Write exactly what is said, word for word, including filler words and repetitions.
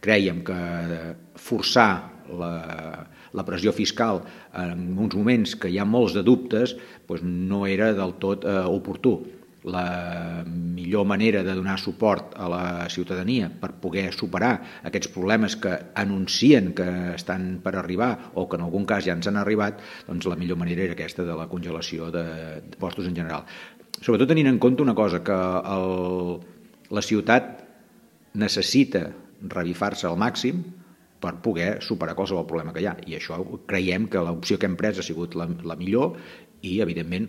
crèiem que forçar la, la pressió fiscal en uns moments que hi ha molts de dubtes doncs no era del tot eh, oportú. La millor manera de donar suport a la ciutadania per poder superar aquests problemes que anuncien que estan per arribar o que en algun cas ja ens han arribat, doncs la millor manera era aquesta de la congelació de, de postos en general. Sobretot tenint en compte una cosa, que el, la ciutat necessita revifar-se al màxim per poder superar qualsevol problema que hi ha, i això creiem que l'opció que hem pres ha sigut la, la millor i, evidentment,